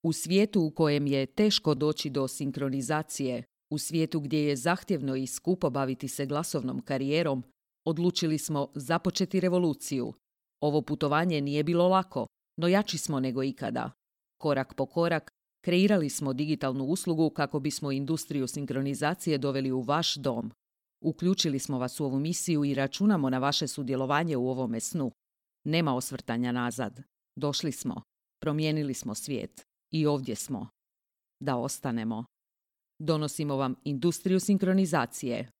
U svijetu u kojem je teško doći do sinkronizacije, u svijetu gdje je zahtjevno i skupo baviti se glasovnom karijerom, odlučili smo započeti revoluciju. Ovo putovanje nije bilo lako, no jači smo nego ikada. Korak po korak, kreirali smo digitalnu uslugu kako bismo industriju sinkronizacije doveli u vaš dom. Uključili smo vas u ovu misiju i računamo na vaše sudjelovanje u ovome snu. Nema osvrtanja nazad. Došli smo. Promijenili smo svijet. I ovdje smo. Da ostanemo. Donosimo vam industriju sinkronizacije.